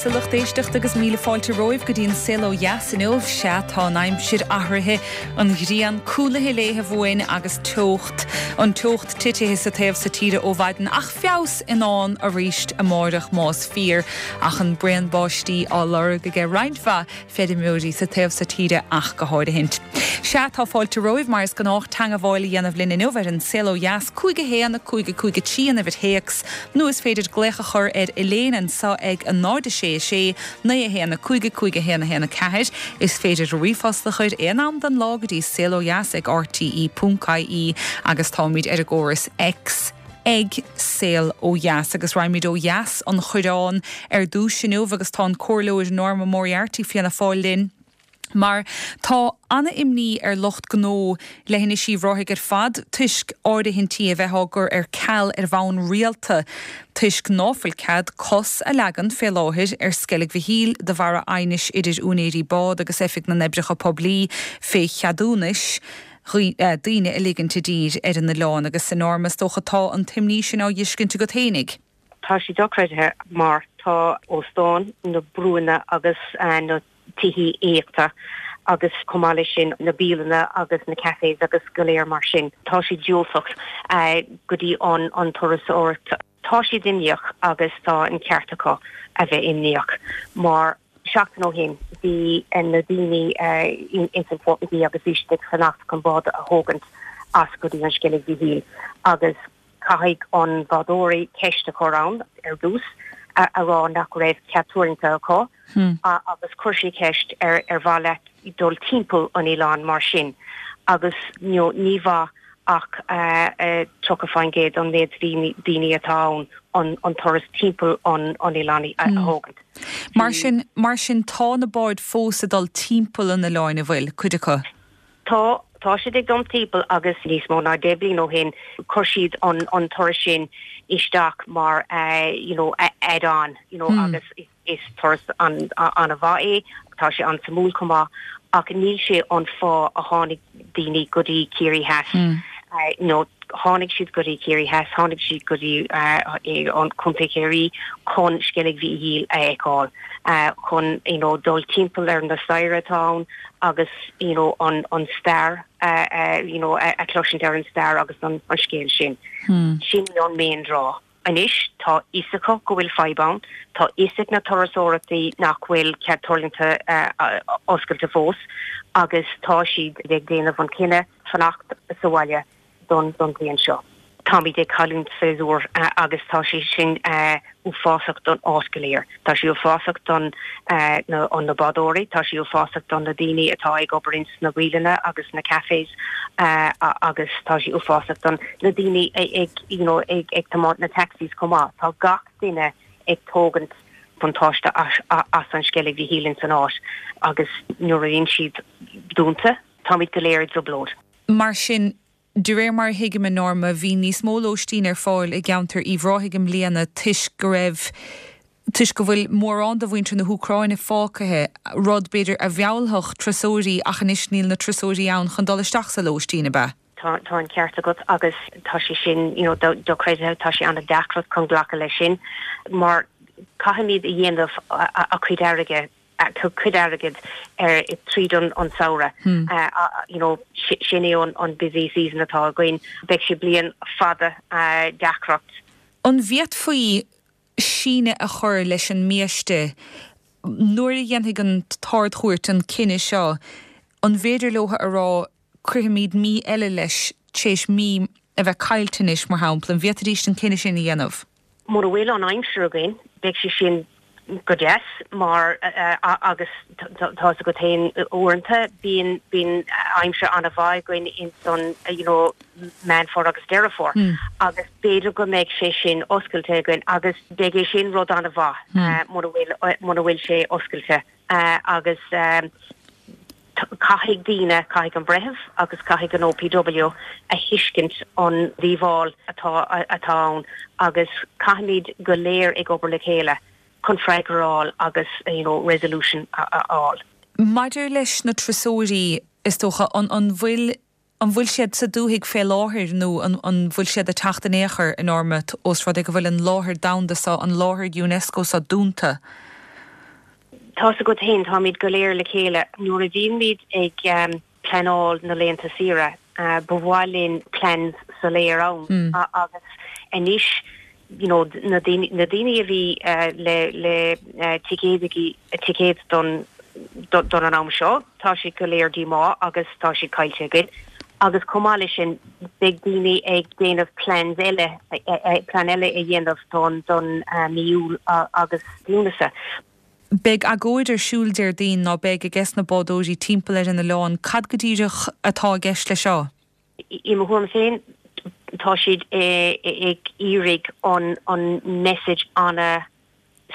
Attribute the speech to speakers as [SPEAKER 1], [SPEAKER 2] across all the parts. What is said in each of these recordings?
[SPEAKER 1] daoibhse lucht éisteachta agus míle fáilte romhaibh go dtí an Saol Ó Dheas inniu. Sea, tá an aimsir athraithe, an ghrian cúlaithe léithe uainn agus teocht, an teocht titithe sa taobh so tíre ó mhaidin ach feabhas i ndán aríst amáireach más fíor ach an braon báistí á lorg aige roinnt mhaith feirmeoirí sa taobh so tíre ach go háirithint. Sea, tá fáilte romhaibh, mar is gnách, teangabháil a dhéanamh linn inniu ar An Saol Ó Dheas, 5 1 5 5 3 an uimhir théacs, nó is féidir glaoch a chur ar Elaine anseo ag 0 6 6 9 1 5 5 1 1 4. Is féidir ríomhphost a chur aon am den lá go dtí saolodheas ag rte.ie agus táimid ar an gcóras X. ag Saol Ó Dheas agus raghaimid ó dheas an Choireán ar dtús inniu agus tá an Comhairleoir Norma Moriarty Fianna Fáil linn mar tá ana-imní ar lucht gnó Leithinis Uíbh Ráthaigh ar fad toisc áirithintí a bheith á gcur ar ceal ar bhonn rialta toisc ná fuil cead cos a leagan fé láthair ar Sceilg Mhichíl de bharra aighnis idir úinéirí bád agus Oifig na nOibreacha Poiblí fé cheadúnais daoine a ligint i dtír ar an oileán agus a Norma, is dócha tá an t-imní sin á dh'fheiscint agat fhéinig.
[SPEAKER 2] Tá sé dochreidthe mar tá óstáin, na brúanna agus na tithí aíochta agus chomh maith leis sin na bialanna agus na cafés agus go léir mar sin, tá siad diúltach go dtí an turasóireacht. Tá siad imníoch agus tá an ceart acu a bheith imníoch mar Seachtain ó shin bhí na daoine ins an Portmagee agus bhí siad ag fanacht chun bád a thógaint as go dtí an Sceilg Mhichíl agus caithfidh an bádóirí ceist a chur ann ar dtús a rá nach raibh cead tuirlingte acu agus chuir sé ceist ar ar mhaith leat dul timpeall an oileáin mar sin agus ní mhaith ach 30% an méid daoine atá ann an turas timpeall an oileáin a thógaint.
[SPEAKER 1] Mar sin, mar sin tá na báid fós ag dul timpeall an oileáin, an bhfuil, cuid acu?
[SPEAKER 2] Tá, tá siad ag dul timpeall agus níos mó ná 10 bliain ó shin chuir siad an, an turas sin isteach mar you know add-on you know agus is turas an, an-mhaith é, tá sé an-suimiúil chomh maith ach níl sé an fáth a tháinig daoine go dtí Ciarraí Theas you know tháinig siad go dtí Ciarraí Theas, tháinig siad go dtí an Contae Chiarraí chun Sceilg Mhichíl a fheiceáil, chun you know dul timpeall ar na staighre atá ann agus you know an an stair you know a chloisint ar an stair agus an scéal sin. Sin é an main draw. Anois tá fhios acu go bhfuil fadhb ann, tá fhios ag na turasóireachtaí nach bhfuil cead tuirlingte oscailte fós agus tá siad ag déanamh an cinneadh fanacht sa bhaile don don bhliain seo. Táimid ag cailliúint séasúr agus tá sé sin uafásach don áit go léir. Tá sé uafásach don na na bádóirí, tá sé uafásach don na daoine atá ag obair ins na bialanna agus na cafés agus tá sé uafásach don na daoine ag you know ag ag tiomáint na taxis chomh maith. Tá gach duine ag tógaint buntáiste as as an Sceilg Mhichíl ins an áit agus nuair a bhíonn siad dúnta táimid go léir i dtrioblóid.
[SPEAKER 1] Mar sin, De réir mar a thuigim, a Norma, bhí níos mó lóistín ar fáil i gceantar Uíbh Ráthaigh i mbliana toisc go raibh, toisc go bhfuil mórán de mhuintir na hÚcráine fágtha, rud, b'fhéidir, a mheallfadh turasóirí ach anois níl na turasóirí ann chun dul isteach sa lóistín, ab ea?
[SPEAKER 2] Tá, tá an ceart agat agus tá sé sin, you know, dochreidthe, tá sé an-deacracht chun glacadh leis sin mar caithfimid a dhéanamh a cuid airgid cuid airgid ar tríd an samhradh. You know, sin é an busy season atá againn. Beidh sé bliain fada deacracht.
[SPEAKER 1] An bhféadfaí síneadh a chur leis an mbiaiste nuair a dhéanfaidh an tArd-Chúirt an cinneadh seo? An bhféidir leo a rá cuirfimid mí eile leis tar éis mí a bheith caillte anois, mar shampla? An bhféadfaidís an cinneadh sin a dhéanamh?
[SPEAKER 2] Mura bhfuil an aimsir againn, beidh sé sin go deas mar agus tá fhios agat féin uaireanta bíonn bíonn aimsir an-mhaith againn ins an you know Meán Fómhair agus Deireadh Fómhair agus b'fhéidir go mbeidh sé sin oscailte againn agus beidh é sin rud an-mhaith mura bhfuil mura bhfuil sé oscailte. Agus caithfidh daoine, caithfidh an breitheamh agus caithfidh an OPW a thuiscint an díobháil atá atá ann agus caithfimid go léir ag obair le chéile chun freagra a fháil agus you know resolution a fháil.
[SPEAKER 1] Maidir leis na turasóirí, is dócha, an an bhfuil An bhfuil siad sa dúthaigh fé láthair nó an bhfuil siad ag teacht in aon chor, a Norma, ós rud é go bhfuil an láthair domhanda seo, an láthair Unesco seo dúnta?
[SPEAKER 2] Tá's agat féin, táimid go léir le chéile. Nuair a bhímid ag pleanáil na laethanta saoire, ba mhaith linn plans soiléir ann agus anois you know na daoine na daoine a bhí le le ticéad ticéad don don an am seo, tá siad go léir díomách agus tá siad caillte againn. Agus chomh maith leis sin, beidh daoine ag déanamh plans eile, plean eile a dhéanamh don don mí Iúil agus Lúnasa.
[SPEAKER 1] Beidh agóid ar siúl Déardaoin, ná beidh, ages na bádóirí timpeall ar an oileán. Cad go díreach atá i gceist leis seo?
[SPEAKER 2] I mo thuairim féin, tá siad ag iarraidh an message ana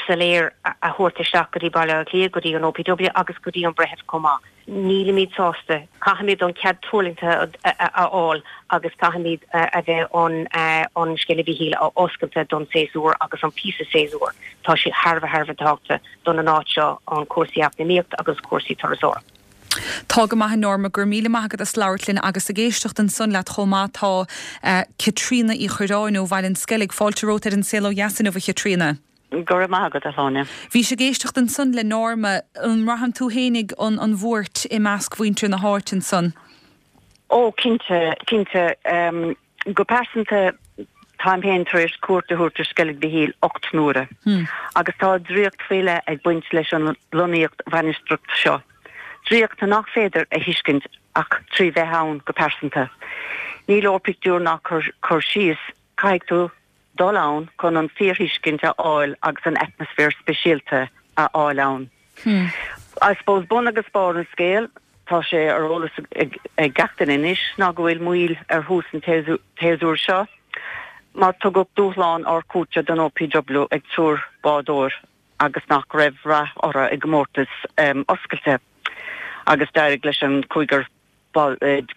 [SPEAKER 2] soiléir a thabhairt isteach go dtí Baile Átha Cliath, go dtí an OPW agus go dtí an breitheamh chomh maith. Nílimid sásta. Caithfimid an cead tuirlingthe a fháil agus caithfimid a bheith an an Sceilg Mhichíl a oscailte don séasúr agus an píosa séasúr. Tá sé thar a bheith thar a bheith tábhachtach don an áit seo, an cúrsaí eacnamaíocht agus cúrsaí turasóireacht.
[SPEAKER 1] Tá go maith a Norma, go raibh míle maith agat as labhairt linn agus ag éisteacht ansan leat chomh maith tá Caitríona Uí Chuirreáin ó Bhaile an Sceilg. Fáilte romhat ar An Saol Ó Dheas inniu a Chaitríona.
[SPEAKER 3] Go raibh maith agat, a Shláine.
[SPEAKER 1] Bhís ag éisteacht ansan le Norma. An mbraitheann tú fhéinig an an bhuairt i measc mhuintir na háite ansan?
[SPEAKER 3] Ó, cinnte, cinnte. Go pearsanta, táim féin tar éis cuairt a thabhairt ar Sceilg Mhichíl 8 n-uaire agus tá draíocht faoi leith ag baint leis an lonnaíocht mhainistreach seo, draíocht nach féidir a thuiscint ach trí bheith ann go pearsanta. Ní leor pictiúr ná cur síos, caithfidh tú dul ann chun an fíorthuiscint a fháil agus an atmaisféar speisialta a fháil ann. I suppose bun agus barr an scéil, tá sé ar eolas ag gach duine anois, ná go bhfuil moill ar thús an tséasúir seo mar tugadh dúshlán Ard-Chúirte don OPW ag triúr bádóir agus nach raibh rath orthu i gcomórtas oscailte agus d'éirigh leis an 15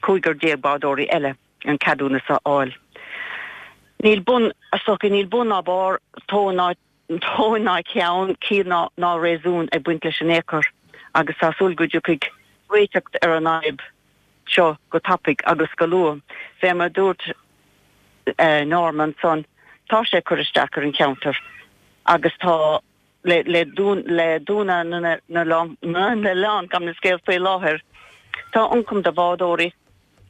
[SPEAKER 3] cúigear bádóirí eile. an ceadúnas a fháil. Níl bun, is dócha, níl bun ná barr, tóin ná tóin ná ceann, ciall ná ná réasún ag baint leis in aon chor agus tá súil go dtiocfaidh réiteach ar an fhadhb seo go tapaidh agus go luath. Fé mar a dúirt Norma ansan, tá sé ag cur isteach ar an cheantar agus tá le le dúnadh na n-oileán, gabh mo leithscéal, faoi láthair. Tá ioncam do bhádóirí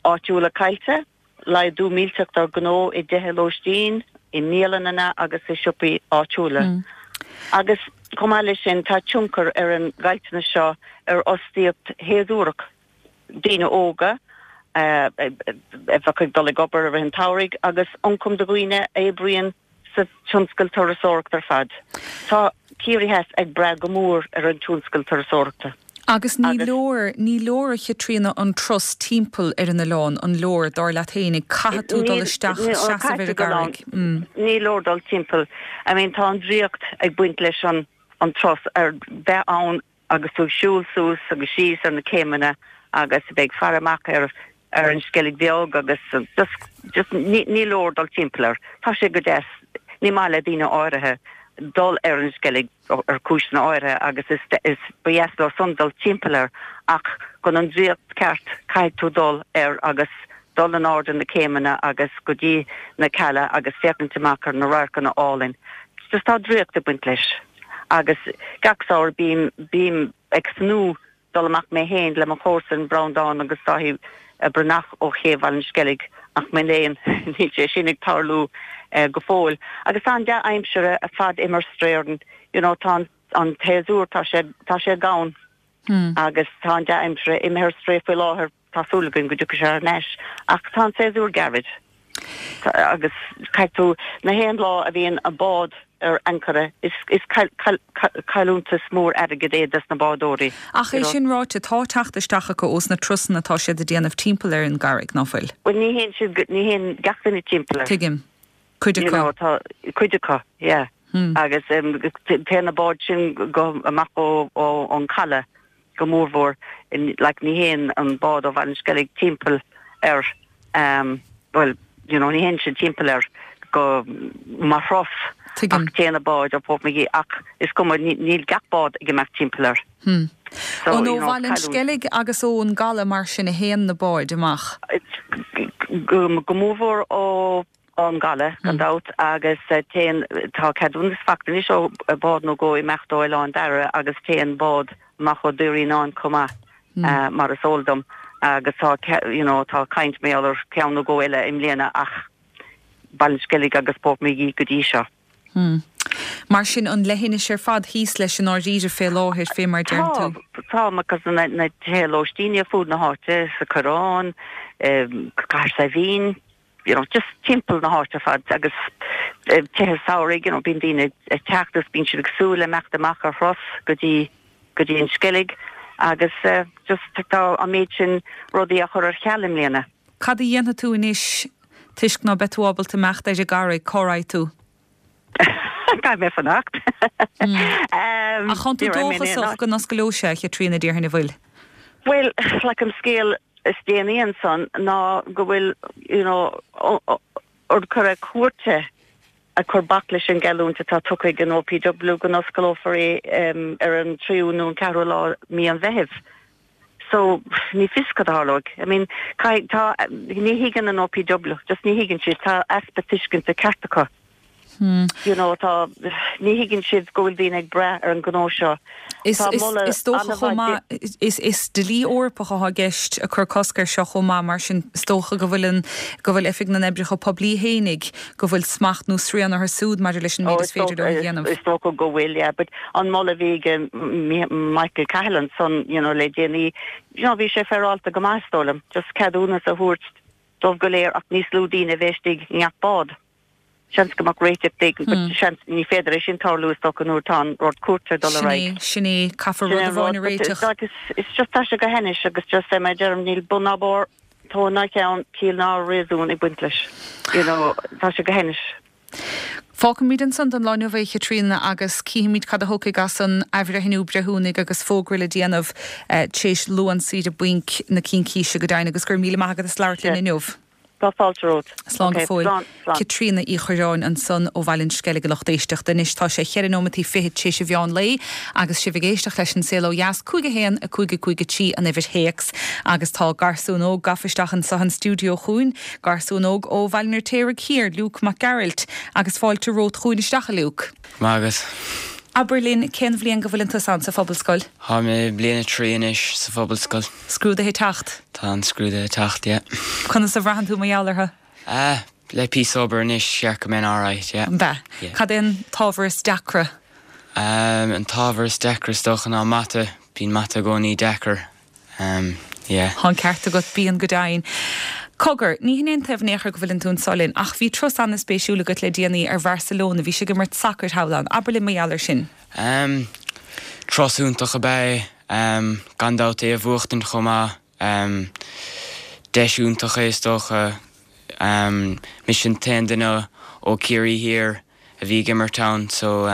[SPEAKER 3] áitiúla caillte, laghdú millteach dár ngnó i dtithe lóistín, i mbialanna agus i siopaí áitiúla. Agus chomh maith leis sin, tá tionchar ar an gcaillteanas seo ar fhostaíocht shéasúrach, daoine óga a bheadh ag dul ag obair i rith an tsamhraidh agus ioncam do dhaoine a oibríonn sa tionscal turasóireachta ar fad. Tá Ciarraí Theas ag brath go mór ar an tionscal turasóireachta.
[SPEAKER 1] Agus ní leor, ní leor a Chaitríona an turas timpeall ar an oileán, an leor, dar leat fhéinig? Caithfidh tú dul isteach, seasamh ar an gcarraig.
[SPEAKER 3] Ní leor dul timpeall. I mean tá an draíocht ag baint leis an turas, ar bheith ann agus tú ag siúl suas agus síos ar na céimeanna agus a bheith ag faire amach ar ar an Sceilg Bheag agus just just ní ní leor dul timpeall air. Tá sé go deas. Ní maith le daoine áirithe dul ar an Sceilg ar cúiseanna áirithe agus is is ba dheas leo san dul timpeall air ach chun an draíocht ceart caithfidh tú dul air agus dul in airde na céimeanna agus go dtí na cealla agus féachaint amach ar na radharcanna álainn. Just tá draíocht ag baint leis. Agus gach samhradh bím, bím ag tnúth dul amach mé féin le mo chomharsan Breandán agus Dáithí Breathnach ó Ché Bhaile an Sceilg ach mo léan níl sé sin ag tarlú go fóill. Agus tá an dea-aimsir ar fad imithe ar strae orainn, you know, tá an, an tséasúr, tá sé, tá sé gann agus tá an dea-aimsir imithe ar strae faoi láthair. Tá súil againn go dtiocfaidh sé thar n-ais ach tá an séasúr gairid agus caithfidh tú, na haon lá a bhíonn an bád ar ancaire is cailliúntas mór airgid é dos na bádóirí.
[SPEAKER 1] Ach é sin ráite, tá teacht isteach acu ós na turasanna atá siad a déanamh timpeall ar an gcarraig, ná fuil?
[SPEAKER 3] Bhuel ní théann siad, ní théann gach duine timpeall air.
[SPEAKER 1] Tuigim. Cuid
[SPEAKER 3] acu. You know, tá cuid acu, yeah. Agus téann na báid sin go amach ó ón caladh. go mórmhór, like ní théann an bád ó Bhaile an Sceilg timpeall air, bhuel, you know, ní théann siad timpeall air go mar thuras ach téann na báid ó Portmagee ach is cuma, níl gach bád ag imeacht timpeall air.
[SPEAKER 1] So, you know, ó Bhaile an Sceilg agus ón gcaladh mar sin a théann na báid amach?
[SPEAKER 3] Go mórmhór ó. Ón gcaladh, gan dabht, agus téann, tá ceadúnas faighte anois ó bhád nó dhó imeacht ó Oileán Dara agus téann bád amach ó Dhoire Fhíonáin chomh maith, mar is eol dom, agus tá, you know, tá caint mar gheall ar cheann nó dhó eile i mbliana ach Baile an Sceilg agus Portmagee go dtí seo.
[SPEAKER 1] Mar sin, an leithinis ar fad thíos leis i ndáiríre fé láthair, fé mar deireann tú.
[SPEAKER 3] Tá, tá, because na na tithe lóistín ar fud na háite, sa Choireán, Cathair Saidhbhín, you know, just timpeall na háite ar fad agus tithe samhraidh, you know, bíonn daoine ag teacht agus bíonn siad ag súil le imeacht amach ar thuras go dtí go dtí an Sceilg agus just tá an méid sin rudaí á chur ar ceal i mbliana.
[SPEAKER 1] Cad a dhéanfaidh tú anois toisc ná beidh tú ábalta imeacht ar an gCarraig, cá raghaidh tú?
[SPEAKER 3] Caithfidh mé fanacht.
[SPEAKER 1] Ach tánn tú dóchasach go n-oscaileoidh sé, a Chaitríona, déarfainn, an bhfuil?
[SPEAKER 3] Bhuel, like an scéal is déanaí ansan ná go bhfuil, you know, urchar cúirte ag cur bac leis an gceadúnas atá tugtha ag an OPW go n-osclófar é ar an tríú nó an ceathrú lá mí an Mheithimh. So, ní fios cad a tharlóidh. I mean, caithfidh, tá, ní thuigeann an OPW, just ní thuigeann siad, tá easpa tuiscinte ceart acu. You know, tá, ní thuigeann siad go bhfuil daoine ag brath ar an ngnó seo.
[SPEAKER 1] Is, Tá moladh is dócha chomh maith, is, is dlí Eorpach atá i gceist ag cur cosc air seo chomh maith, mar sin is dócha go bhfuil an, go bhfuil Oifig na nOibreacha Poiblí fhéinig, go bhfuil smacht nó srian orthu siúd maidir leis an méid is féidir leo a dhéanamh.
[SPEAKER 3] Is dócha go bhfuil, yeah, but an moladh a bhí ag Michael Cahill ansan, you know, le déanaí, you know, bhí sé féaráilte go maith is dóigh liom, just ceadúnas a thabhairt dóibh go léir ach níos lú daoine a bheith istigh i ngach bád. Seans go mbeadh réiteach éigin, but seans, ní féidir é sin tarlú is dócha nuair atá an rud cúirte ag dul ar
[SPEAKER 1] Sin é, aghaidh. sin é, caithfear
[SPEAKER 3] rud amháin a réiteach. It's just tá sé go hainnis agus just é mar a deirim, níl bun ná barr. Tóin ná ceann, ciall ná réasún ag baint leis. You know, tá sé go hainnis.
[SPEAKER 1] Fágfaimid ansan don lá inniu é, a Chaitríona, agus cífimid cad a thiocfaidh as an athbhreithniú breithiúnaigh agus fógra le déanamh tar éis Luan saoire bainc na cincíse go deimhin. Agus go raibh míle maith agat as labhairt linn inniu.
[SPEAKER 3] Tá fáilte romhat.
[SPEAKER 1] Slán go fóill. Slán, slán. Caitríona Uí Chuirreáin ansan ó Bhaile an Sceilg a lucht éisteachta. Anois tá sé cheithre nóimeataí fichead tar éis an mheán lae agus sibh ag éisteacht leis An Saol Ó Dheas, 5 1 5 5 3 an uimhir théacs. Agus tá garsún óg gafa isteach anso an stiúideo chugainn, garsún óg ó Bhaile an Fheirtéaraigh Thiar, Luke Mac Gearailt. Agus fáilte romhat chugainn isteach, a Luke.
[SPEAKER 4] Maith agat.
[SPEAKER 1] Abair linn, cén bhliain go bhfuileann tusa ann sa Phobalscoil?
[SPEAKER 4] Táim i mbliain a 3 anois sa Phobalscoil.
[SPEAKER 1] Scrúduithe ag teacht?
[SPEAKER 4] Tá an scrúduithe ag teacht, yeah.
[SPEAKER 1] Conas a bhraitheann tú mar gheall orthu?
[SPEAKER 4] Ah, le píosa obair anois, cheart go mbeinn alright, yeah.
[SPEAKER 1] An b'ea?
[SPEAKER 4] Yeah.
[SPEAKER 1] Cad é an t-ábhar is deacra?
[SPEAKER 4] Um, an t-ábhar is deacra is dócha ná mata, bíonn mata i gcónaí deacair, um, yeah.
[SPEAKER 1] Tá an ceart agat, bíonn go deimhin. Cogar, ní hin é an taobh in aon chor go bhfuileann tú anso linn, ach bhí turas an-spéisiúil agat le déanaí ar Bharcelona, bhís ag imirt sacair thall ann. Abair linn mar gheall air sin.
[SPEAKER 4] Um, turas iontach ab ea é. Gan dabht é a bhuachtaint chomh maith. Deis iontach é is dócha. Mise an t-aon duine ó Ciarraí Thiar a bhí ag imirt ann so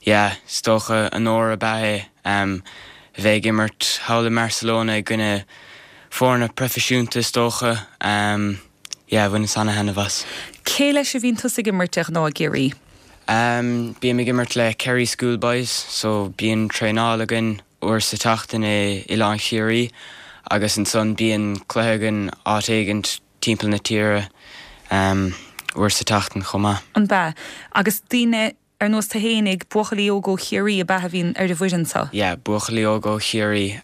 [SPEAKER 4] yeah is dócha onóir ab ea é a bheith ag imirt thall i mBarcelona i gcoinne foirne proifisiúnta is dócha. Yeah bhaineas ana-thaitneamh as.
[SPEAKER 1] Cé leis a bhíonn tusa ag imirt de ghnáth i gCiarraí?
[SPEAKER 4] Bím ag imirt le Kerry Schoolboys so bíonn traenáil againn uair sa tseachtain i Oileán Chiarraí agus ansan bíonn cluiche againn áit éigint timpeall na tíre uair sa tseachtain chomh maith.
[SPEAKER 1] An b'ea? Agus daoine ar nós tú fhéinig, buachaillí óga ó Chiarraí ab ea a bhíonn ar an bhfoireann so?
[SPEAKER 4] Yeah, buachaillí óga ó Chiarraí,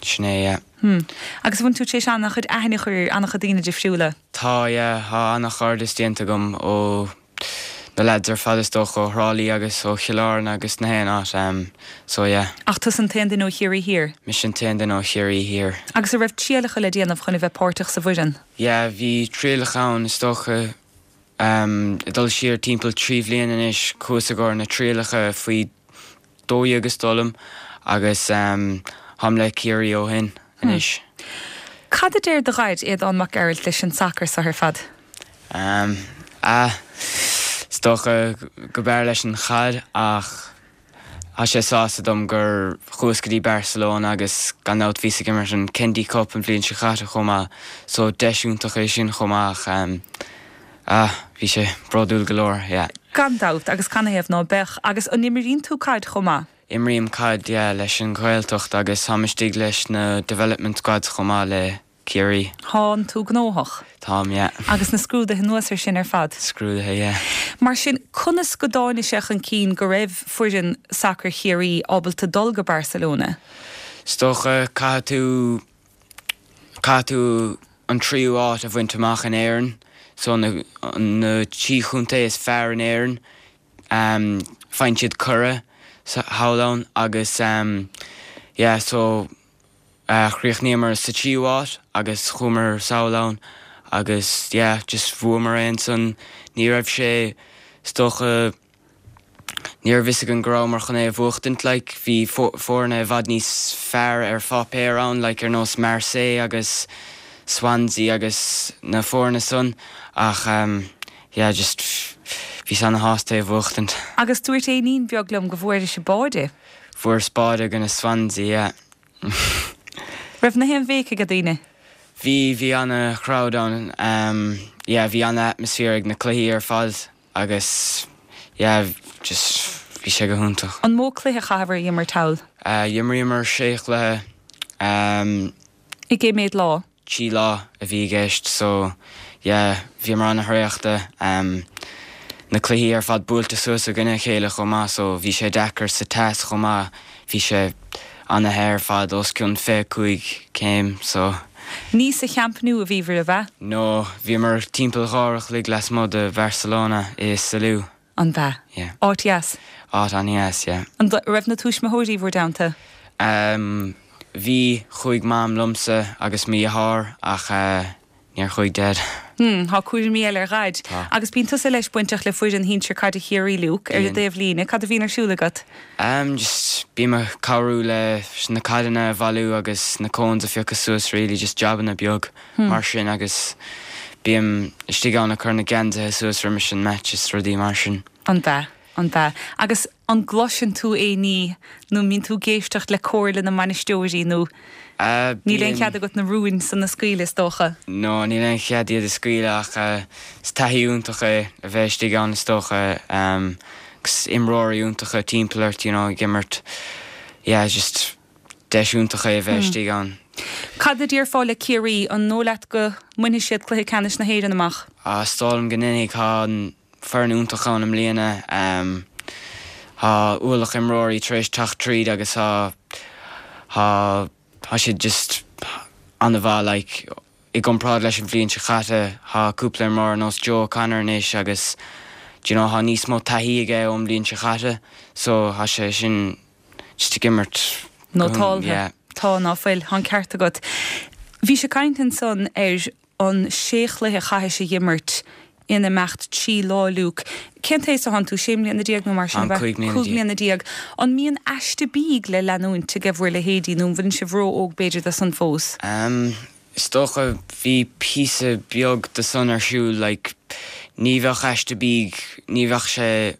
[SPEAKER 4] sin é, yeah.
[SPEAKER 1] Hmm. Agus an bhfuil tú tar éis an-chuid aithne a chur ar an-chuid daoine difriúla?
[SPEAKER 4] Tá, yeah, tá an-chairdeas déanta agam ó na lads ar fad is dócha ó Thrá Lí agus ó Chill Airne agus na haon áit em so yeah.
[SPEAKER 1] Ach tusa an t-aon duine ó Chiarraí Thiar?
[SPEAKER 4] Mise an t-aon duine ó Chiarraí Thiar.
[SPEAKER 1] Agus an raibh trialacha le déanamh chun a bheith páirteach sa bhfoireann?
[SPEAKER 4] Yeah bhí trialacha ann is dócha em ag dul siar timpeall 3 bhliain anois chuas i gcomhair na trialacha faoi 12 is dóigh liom agus táim le Ciarraí ó shin anois.
[SPEAKER 1] Cad a deir do dhaid, Aodán Mac Gearailt, leis an sacar so ar fad?
[SPEAKER 4] Ah, is dócha go b'fhearr leis an chaid ach tá sé sásta dom gur chuas go dtí Barcelona agus gan dabht bhíos ag imirt an Kennedy Cup an bhliain seo chaite chomh maith so deis iontach é sin chomh maith ach ah, bhí sé bródúil go leor, yeah.
[SPEAKER 1] Gan dabht, agus canathaobh ná beadh? Agus an imríonn tú caid chomh maith?
[SPEAKER 4] Imrím caid, yeah, leis an Ghaeltacht agus táim istigh leis na development squads chomh maith le. Ciarraí.
[SPEAKER 1] Tánn tú gnóthach.
[SPEAKER 4] Táim, yeah.
[SPEAKER 1] Agus na scrúduithe anuas ar sin ar fad.
[SPEAKER 4] Scrúduithe, yeah.
[SPEAKER 1] Mar sin, conas go dtáinig sé chun cinn go raibh foireann sacair Chiarraí ábalta dul go Barcelona?
[SPEAKER 4] Is dócha, caithfidh tú, caithfidh tú an tríú áit a bhaint amach in Éirinn, so na, na trí chontae is fearr in Éirinn, faigheann siad cuireadh thall ann agus yeah so chríochnaíomar sa tríú áit agus chuamar sall ann agus yeah just bhuamar é ansan. Ní raibh sé is dócha ní raibh fhios againn go rabhamar chun é a bhuachtaint like bhí foirne i bhfad níos fearr ar pháipéar ann like ar nós Marseille agus Swansea agus na foirne san ach yeah just bhíos ana-shásta é a bhuachtaint.
[SPEAKER 1] Agus dúirt éinín beag liom go bhfuairis báide.
[SPEAKER 4] Fuaireas báide i gcoinne Swansea, yeah.
[SPEAKER 1] Raibh na haon bhéic ag daoine?
[SPEAKER 4] Bhí, bhí ana-chrowd ann, yeah bhí ana-atmosphere ag na cluichí ar fad agus yeah just bhí sé go hiontach.
[SPEAKER 1] An mó cluiche a chaitheabhair a dh'imirt thall?
[SPEAKER 4] D'imríomar sé chluiche.
[SPEAKER 1] I gcé mhéad lá?
[SPEAKER 4] 3 lá a bhí i gceist so yeah bhíomar ana-thraochta. Na cluichí ar fad buailte suas i gcoinne a chéile chomh maith so bhí sé deacair sa teas chomh maith, bhí sé ana-the ar fad, os cionn 25 céim so.
[SPEAKER 1] Ní sa Champ Nou a bhíobhair, ab ea?
[SPEAKER 4] No, bhíomar timpeall dhá uair a chloig lasmuigh de Bharcelona i Salou.
[SPEAKER 1] An b'ea?
[SPEAKER 4] Yeah.
[SPEAKER 1] Áit dheas?
[SPEAKER 4] Áit an-dheas, yeah.
[SPEAKER 1] An raibh na tuismitheoirí bhur dteannta?
[SPEAKER 4] Ehm, bhí, chuaigh Mam liomsa agus mo dheartháir ach eh, níor chuaigh Deaid.
[SPEAKER 1] Hmm, tá cúraimí eile ar Dhaid.
[SPEAKER 4] Tá.
[SPEAKER 1] Agus bíonn tusa leis bainteach le foireann shinsir caide Chiarraí, Luke, ar an
[SPEAKER 4] Bíonn.
[SPEAKER 1] dtaobh líne. Cad a bhíonn ar siúl agat?
[SPEAKER 4] Ehm, just bím ag cabhrú leis na caideanna a bhailiú agus na cones a phiocadh suas really, just jabanna beag. mar sin agus bím istigh ann ag cur na geansaithe suas roimis an match is rudaí mar sin.
[SPEAKER 1] An b'ea? An b'ea? Agus an gcloiseann tú aon ní nó an mbíonn tú ag éisteacht le comhairle na mbainisteoirí nó níl aon chead agat na rúin san a scaoileadh is dócha?
[SPEAKER 4] No, níl aon chead iad a scaoileadh ach is taithí iontach é a bheith istigh ann is dócha agus imreoirí iontacha timpeall ort you know ag imirt yeah just Deis iontach é a bheith istigh ann.
[SPEAKER 1] Cad a déarfá le Ciarraí? An dóigh leat go mbainfidh siad cluiche ceannais na hÉireann amach?
[SPEAKER 4] Is dóigh liom go ndéanfaidh. Tá foireann iontach ann i mbliana. Tá ualach imreoirí tar éis teacht tríd agus tá tá tá siad just an-mhaith like i gcomparáid leis an bhliain seo caite. Tá cúpla imreoir ar nós Joe O'Connor anois agus do you know tá níos mó taithí aige ón mbliain seo caite so tá sé sin just ag imirt
[SPEAKER 1] Nótáltha. yeah. Tá, ná fuil. Tá an ceart agat. Bhís ag caint ansan ar an sé chluiche a chaithis a dh'imirt in imeacht 3 lá, Luke. Cén t-aos atánn tú? Sé mbliana déag nó mar sin, ab ea?
[SPEAKER 4] Táim 15 mbliana.
[SPEAKER 1] 15 mbliana. An mbíonn aiste bídh le leanúint aige bhur leithéidí nó an bhfuileann sibh ró-óg b'fhéidir do san fós?
[SPEAKER 4] Em, Is dócha bhí píosa beag de san ar siúl like ní bheadh aiste bídh, ní bheadh sé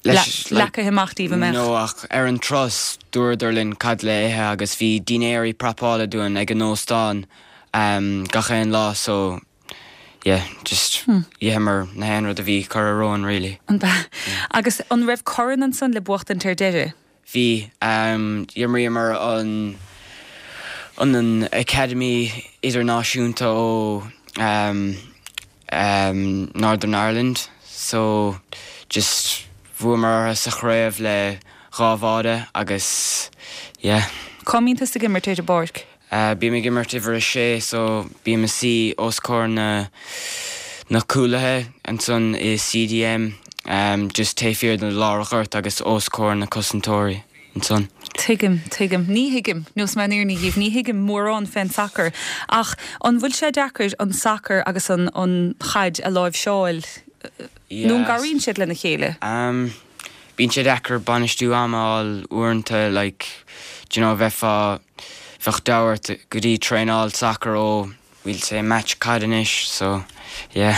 [SPEAKER 1] leis like Leagtha amach daoibh, an mbeadh?
[SPEAKER 4] No ach ar an turas dúradar linn cad le ithe agus bhí dinnéirí prapála dúinn ag an óstán um gach aon lá so yeah just d'itheamar na haon rud a bhí curtha romhainn really.
[SPEAKER 1] An b'ea? Agus an raibh corn ansan le buachtaint ar deireadh?
[SPEAKER 4] Bhí. D'imríomar an an Academy idirnáisiúnta ó Northern Ireland so just bhuamar orthu sa chraobh le dhá bháide agus yeah.
[SPEAKER 1] Cá mbíonn tusa ag imirt ar an bpáirc?
[SPEAKER 4] Bím ag imirt uimhir a sé so bím ag suí os comhair na na cúlaithe ansan i CDM just taobh thiar de lár an ghoirt agus os comhair na cosantóirí ansan.
[SPEAKER 1] Tuigim, tuigim. Ní thuigim, neosfaidh mé an fhírinne dhíbh, ní thuigim mórán fén sacar ach an bhfuil sé deacair an sacar agus an an chaid a láimhseáil nó an gcabhraíonn siad lena chéile?
[SPEAKER 4] Bíonn sé deacair bainistiú ama a fháil uaireanta like do you know bheifeá Bheadh deabhadh ort go dtí traenáil sacair ó we'll say match caid anois so yeah.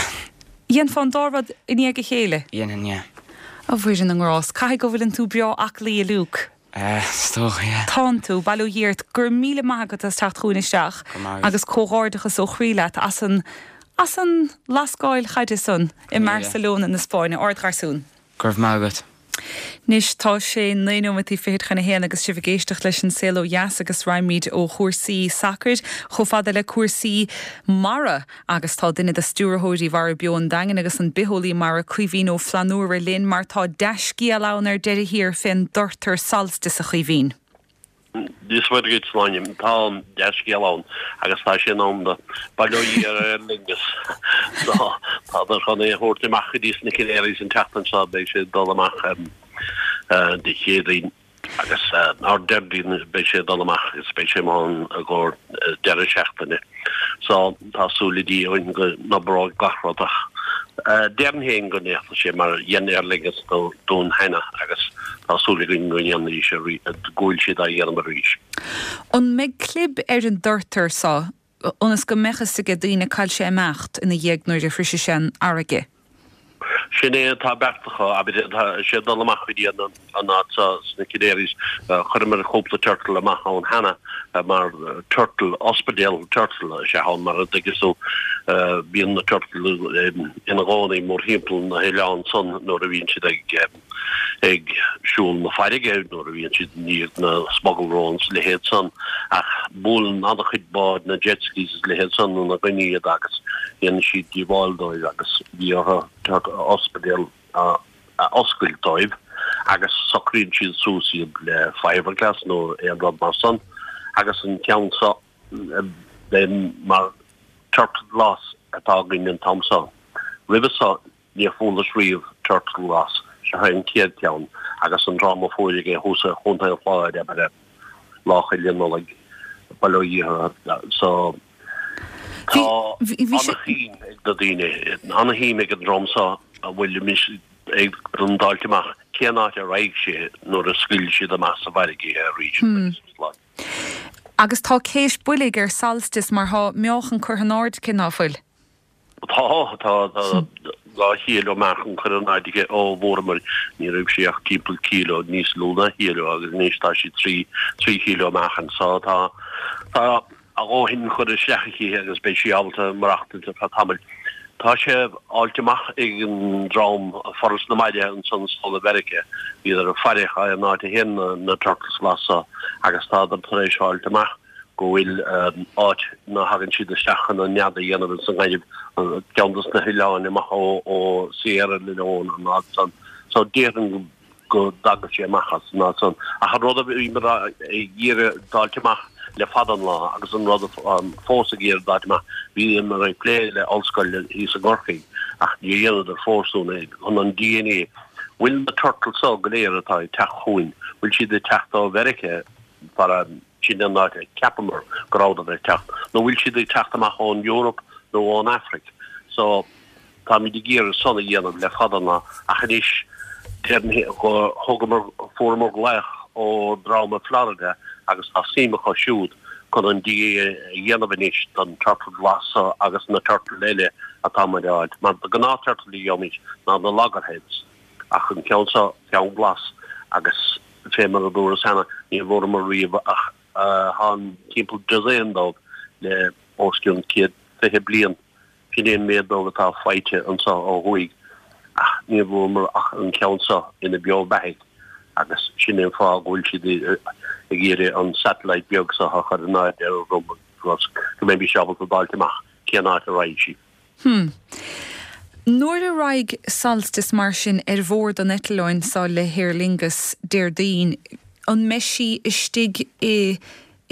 [SPEAKER 1] Dhéanfá an dá rud i ndiaidh a chéile?
[SPEAKER 4] Dhéanfainn yeah.
[SPEAKER 1] A Mhuire na nGrást, caithfidh go bhfuileann tú breá aclaí a Luke.
[SPEAKER 4] Eh, is dócha yeah.
[SPEAKER 1] Tánn tú, bail ó Dhia ort, go raibh míle maith agat as teacht chugainn isteach
[SPEAKER 4] Go raibh maith agat.
[SPEAKER 1] agus comhghairdeachas ó chroí leat as an as an lascáil chaide san i mBarcelona na Spáinne. Ardgharsún.
[SPEAKER 4] Go raibh maith agat.
[SPEAKER 1] Anois tá sé naoi nóimeataí fichead chun a haon agus sibh ag éisteacht leis An Saol Ó Dheas agus raghaimid ó chúrsaí sacair chomh fada le cúrsaí mara agus tá duine de stiúrthóirí Mhara Beo an Daingin agus an bitheolaí mara Caoimhín Ó Flannúra linn mar tá dea-scéal ann ar deireadh thiar fén dturtar Solstice a Chaoimhín.
[SPEAKER 5] Dia is Muire duit, Sláine. Tá dea-scéal ann agus tá sé in am do. Bail ó Dhia ar Aer Lingus. So, tádar chun é a thabhairt amach go dtí sna Canaries an tseachtain seo. Beidh sé ag dul amach Dé Céadaoin agus ar Déardaoin beidh sé ag dul amach agus beidh sé amuigh ann i gcomhair deireadh seachtaine. So, tá súil le Dia againn go n-oibreoidh gach rud ach déarfainn féin go ndéanfaidh sé mar dhein Aer Lingus dúinn cheana agus tá súil againn go ndéanfaidh sé go bhfuil siad á dhéanamh arís.
[SPEAKER 1] An mbeidh clib ar an dturtar so ionas go mbeadh fhios aige daoine cá bhfuil sé ag imeacht ina dhiaidh nuair a shroisfidh sé an fharraige?
[SPEAKER 5] Sin é atá beartaithe, abair, tá sé ag dul amach go dtí an áit seo sna Canaries. Chuireamar cúpla turtle amach ann cheana mar turtle, ospidéal turtle is ea ann mar a dtuigeann tú. Bíonn na turtle ina gcónaí mórthimpeall na hoileán san nuair a bhíonn siad ag ag siúl na farraige nuair a bhíonn siad i ndiaidh na smuggle routes is a leithéid san ach buaileann an-chuid bád na jet skis is a leithéid san ina gcoinne iad agus dhéanann siad díobháil dóibh agus bhí orthu ospidéal a oscailt dóibh agus socraíonn siad suas iad le fiberglass nó aon rud mar san agus an ceann seo beidh mar turtle glas atá againn an t-am seo. Roimhe seo Níor fuarthas riamh turtle glas, seo é an chéad cheann agus an dream a fuair é thuas i Chontae an Chláir abair Lá Fhéile Nollag, bail ó Dhia orthu. So tá ana-shuim ag na daoine, ana-shuim ag an dream seo a bhfuil anois ag d'fháilt amach cén áit a raghaidh sé nuair a scaoil siad amach sa bhfarraige é arís agus slán.
[SPEAKER 1] Agus tá céis boilg ar Solstice mar thá meáchan curtha in airde aici, ná fuil?
[SPEAKER 5] Tá, tá, tá 2 chíleo meáchan curtha in airde aici ó bhfuaireamar, ní raibh sí ach timpeall cíleo, níos lú ná chíleo agus anois tá sí 3, 3 chíleo meáchain. So tá, tá a dhóthain curtha isteach aici agus beidh sí ábalta maireachtaint ar feadh tamaill. Tá sé fháilte amach ag an dream Foras na Mara ansan sall i Mheiriceá, bhíodar ag faire an áit a théann na turtles glas so agus tádar tar éis fháilt amach go bhfuil áit ina thagann siad isteach chun an nead a dhéanamh ins an ngaineamh, ceann dos na hoileáin amach ó Sierra Leone an áit san. So déarfainn go dtagadh sé amach as an áit san. Ach an rud a bhíomar ag iarraidh d'fháilt amach le fada an lá agus an rud atáim fós ag iarraidh d'fháilt amach, bhíomar ag plé le ollscoil thíos i gCorcaigh ach níor dheineadar fós dúinn é, chun an DNA, bhfuil na turtles so go léir atá ag teacht chugainn, bhfuil siad ag teacht ó Mheiriceá fara Sin an áit a cheapamar go rabhadar ag teacht. Nó bhfuil siad ag teacht amach ón Eoraip nó ón Afraic? So, táimid ag iarraidh san a dhéanamh le fada an lá ach anois déarfainn go thugamar, fuaireamar glaoch ó dream i Florida agus tá suim acu siúd chun an DNA a dhéanamh anois don turtle glas so agus na turtle eile atá muid a fháilt. Mar de ghnáth turtle a gheobhaimid ná na loggerheads ach an ceann seo, ceann glas agus Fé mar a dúras cheana, ní bhfuaireamar riamh ach tá timpeall dosaen dóibh le os cionn 120 bliain. Sin é an méad dóibh atá faighte anseo ó thuaidh ach ní bhfuaireamar ach an ceann seo ina beo beathaidh agus sin é an fáth go bhfuil siad ag iarraidh an satellite beag seo a chur in airde ar a dhroim agus go mbeimis ábalta d'fháilt amach cén áit a raghaidh sí.
[SPEAKER 1] Hm. Nuair a raghaidh Solstice mar sin ar bhord an eitleáin seo le hAer Lingus Déardaoin, an mbeidh sí istigh i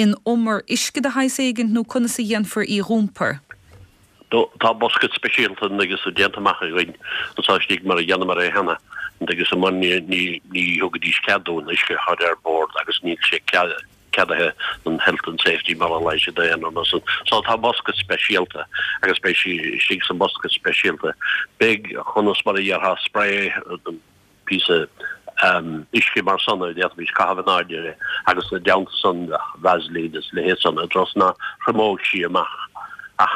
[SPEAKER 1] in umar uisce de shaghas éigint nó conas a dhéanfar í dh'iompar?
[SPEAKER 5] Tá bosca speisialta an dtuigeann tú déanta amach againn anseo istigh mar a dheineamar é cheana an dtuigeann tú mar ní ní thugaidís cead dúinn uisce a chur ar bord agus níl sé ceadaithe don Health and Safety mar a ghlaoigh siad air nó san. So tá bosca speisialta agus beidh sí istigh sa mbosca speisialta. Beidh, conas mar a dhéarfá, spray, píosa uisce mar san a d'fhéadfaimis caitheamh in airde uirthi agus ina dteannta san bheadh Vaseline is a leithéid san i dtreo is ná thriomóidh sí amach. Ach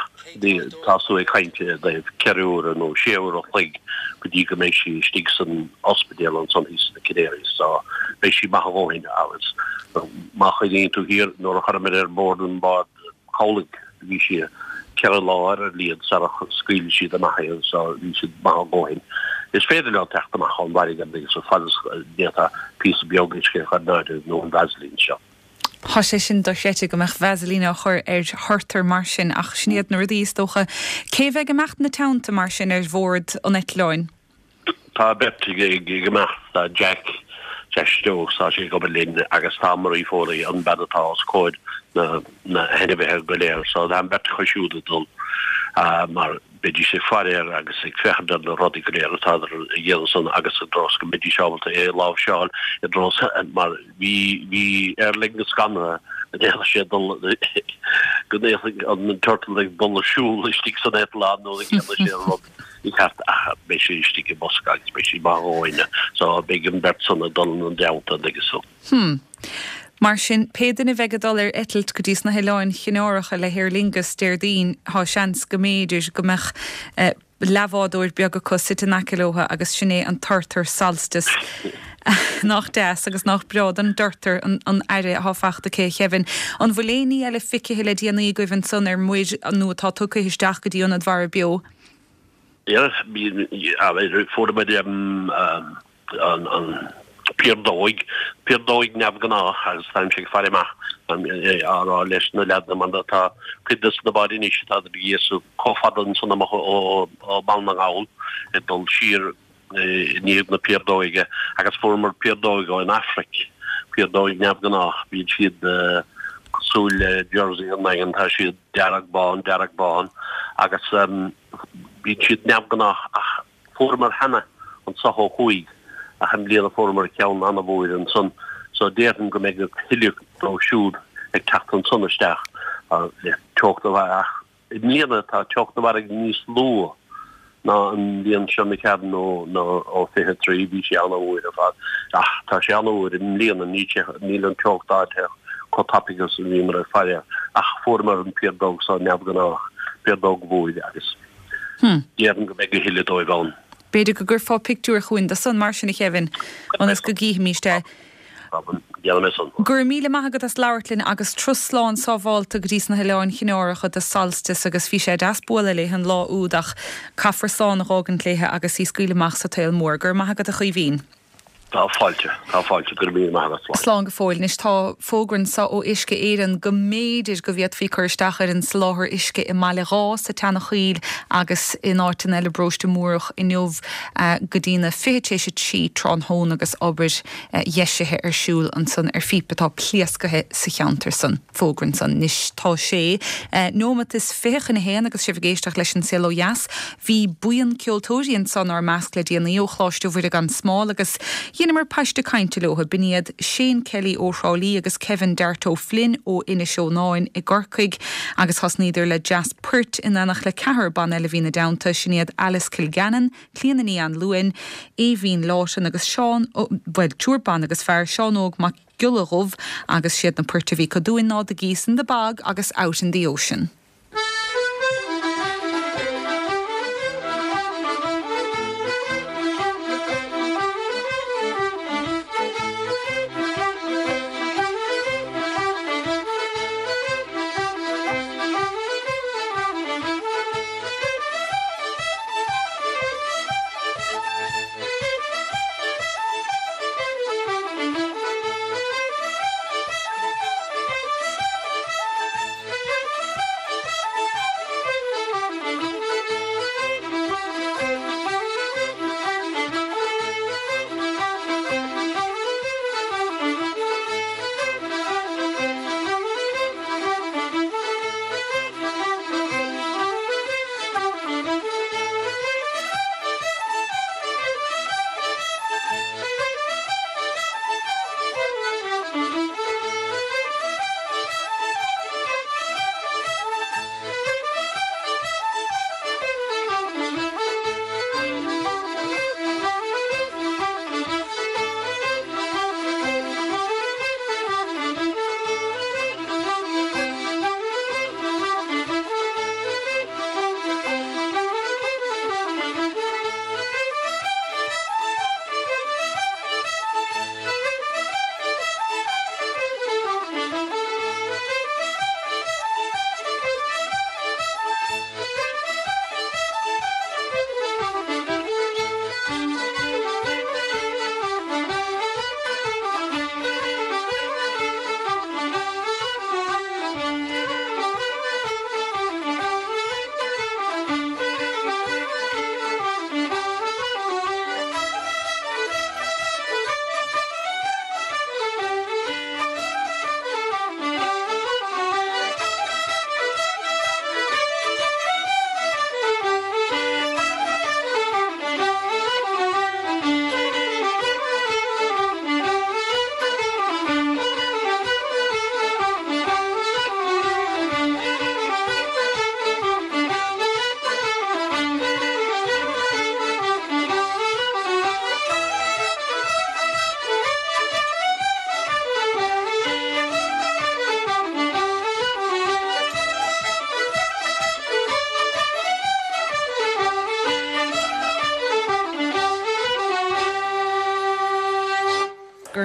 [SPEAKER 5] tá tú ag caint i dtaobh ceithre huaire nó sé uair a chloig go dtí go mbeidh sí istigh san ospidéal ansan thíos sna Canaries so beidh sí maith a dhóthain agus má chuimhníonn tú thiar nuair a chuireamar ar bord an bád cabhlaigh bhí sí ceithre lá ar a laghad sara scaoil siad amach í so bhí siad maith a dhóthain. Is féidir leo teacht amach ón bhfarraige agus fad is go ndéanfá píosa beag uisce a chur in airde nó an Vaseline seo.
[SPEAKER 1] Tá sé sin dochreidte go mbeadh Vaseline á chur ar thurtar mar sin ach sin iad na rudaí is dócha. Cé bheidh ag imeacht ina teannta mar sin ar bhord an eitleáin?
[SPEAKER 5] Tá beirt ag imeacht, tá Jack, Jack Stokes, tá sé ag obair linn agus tá Marie Foley, an bean atá os comhair na na hainmhithe go léir. So tá an bheirt acu siúd ag dul mar beidís ag faire air agus ag féachaint ar na rudaí go léir atá a dhéanamh san agus i dtreo is go mbeidís ábalta é a láimhseáil i dtreo mar bhí bhí Aer Lingus scanraithe go ndéanfadh sé dul go ndéanfadh an turtle ag dul ag siúl istigh san eitleán nó go ndéanfadh sé an rud mícheart ach beidh sé istigh i mbosca agus beidh sé maith a dhóthain so beidh an bheirt san ag dul ina dteannta agus so.
[SPEAKER 1] Hmm. Mar sin, pé duine a bheidh ag dul ar eitilt go dtí sna hOileáin Chanáracha le hAer Lingus Déardaoin, tá seans go mb'fhéidir go mbeadh leathbhádóir beag acu suite in aice leo agus sin é an turtar Solstice. Nach deas agus nach breá don dturtar an aire atá fachta aici, a Kevin. An bhfuil aon ní eile feicthe le déanaí agaibh ansan ar muir nó atá tugtha isteach go dtí Ionad Mhara Beo?
[SPEAKER 5] Yeah, fuair muid an piardóig, piardóig neamhghnách agus táimse ag faire amach á rá leis na leaideanna mar tá cuid de na báid anois atá ag iascach chomh fada ansan amach ó Bhaile na nGall ag dul siar i ndiaidh na piardóige agus fuaireamar piardóig ón Afraic, piardóig neamhghnách, bíonn siad cosúil le Jersey an nDaingean, tá siad dearg bán, dearg bán agus bíonn siad neamhghnách ach fuaireamar cheana anso ó thuaidh ach i mbliana fuaireamar ceann an-mhór ansan so déarfainn go mbeidh a thuilleadh dóibh siúd ag teacht ansan isteach le teocht na ach I mbliana tá teocht na bhfarraige níos lú ná an bhliain seo imigh tharainn nó nó ó 23, bhí sé an-fhuar ar fad. Ach tá sé an-fhuar i mbliana, níl sé, níl an teocht ardaithe chomh tapaidh agus a bhíomar ag faire air. Ach fuaireamar an piardóg so neamhghnách, piardóg mhór agus déarfainn go mbeidh a thuilleadh dóibh ann.
[SPEAKER 1] B'fhéidir go gcuirfeá pictiúr chugainn de san mar sin a Kevin, ionas go gcífimíst é.
[SPEAKER 5] Déanfaidh mé san.
[SPEAKER 1] Go raibh míle maith agat as labhairt linn agus turas slán sábhálta go dtí sna hOileáin Chanáracha do Solstice agus bhí sé deas bualadh léithe an lá úd ach caithfear slán a dh'fhágaint léithe agus í scaoileadh amach sa tsaol mór. Go raibh maith agat a Chaoimhín.
[SPEAKER 5] Tá fáilte, tá fáilte, go raibh míle maith agat,
[SPEAKER 1] slán. Slán go fóill. Anois tá fógra anso ó Uisce Éireann go mb'fhéidir go bhféadfaí cur isteach ar an soláthar uisce i mBaile Dhá, sa tSeanachoill agus in áiteanna eile i bparóiste Múrach inniu go dtí na 2:40 tráthnóna agus obair dheisithe ar siúl ansan ar phíopa atá pléascaithe sa cheantar san. Fógra ansan. Anois tá sé neomat is 20 chun a haon agus sibh ag éisteacht leis An Saol Ó Dheas. Bhí buíon ceoltóirí anso inár measc le déanaí ó Choláiste Mhuire gan Smál agus dheineamar paiste cainte leo. B'in iad Shane Kelly ó Thrá Lí agus Kevin Dart O'Flynn ó Inis Eonáin i gCorcaigh agus thosnaíodar le dreas poirt in éineacht le ceathrar ban eile a bhí ina dteannta, sin iad Alice Kilgannon, Clíona Ní Anluain, Aoibhín Lawton agus Seán, bhuel, triúr ban agus fear, Seán Óg Mac Giolla Dhubh agus siad na poirt a bhí acu dúinn ná The Geese in the Bog agus Out in the Ocean.